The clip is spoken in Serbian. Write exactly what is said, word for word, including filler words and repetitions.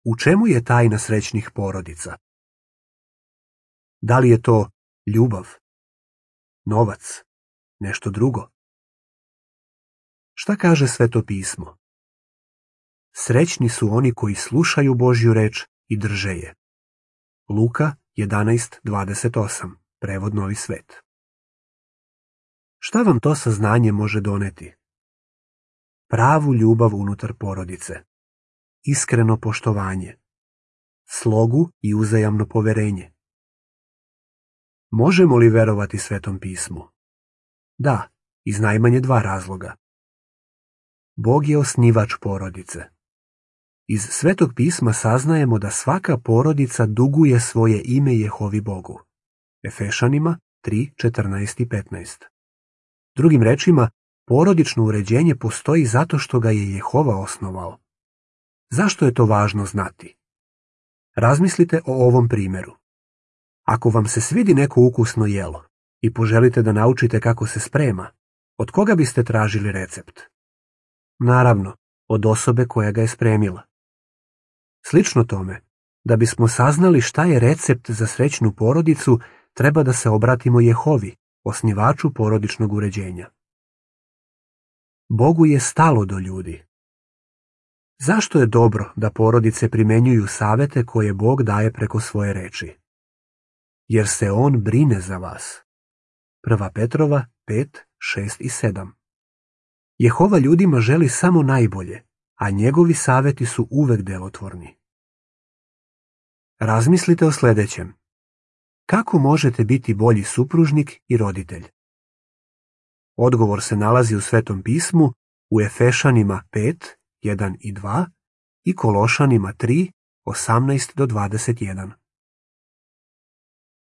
U čemu je tajna srećnih porodica? Da li je to ljubav, novac, nešto drugo? Šta kaže Sveto pismo? Srećni su oni koji slušaju Božju reč i drže je. Luka jedanaest dvadeset osam, prevod Novi svet. Šta vam to saznanje može doneti? Pravu ljubav unutar porodice, iskreno poštovanje, slogu i uzajamno poverenje. Možemo li verovati Svetom pismu? Da, iz najmanje dva razloga. Bog je osnivač porodice. Iz Svetog pisma saznajemo da svaka porodica duguje svoje ime Jehovi Bogu. Efešanima tri četrnaest i petnaest. Drugim rečima, porodično uređenje postoji zato što ga je Jehova osnovao. Zašto je to važno znati? Razmislite o ovom primjeru. Ako vam se svidi neko ukusno jelo i poželite da naučite kako se sprema, od koga biste tražili recept? Naravno, od osobe koja ga je spremila. Slično tome, da bismo saznali šta je recept za srećnu porodicu, treba da se obratimo Jehovi, osnivaču porodičnog uređenja. Bogu je stalo do ljudi. Zašto je dobro da porodice primenjuju savete koje Bog daje preko svoje reči? Jer se On brine za vas. Prva Petrova pet, šest i sedam. Jehova ljudima želi samo najbolje, a njegovi saveti su uvek delotvorni. Razmislite o sljedećem. Kako možete biti bolji supružnik i roditelj? Odgovor se nalazi u Svetom pismu, u Efešanima pet, jedan i dva i Kološanima tri, osamnaest do dvadeset jedan.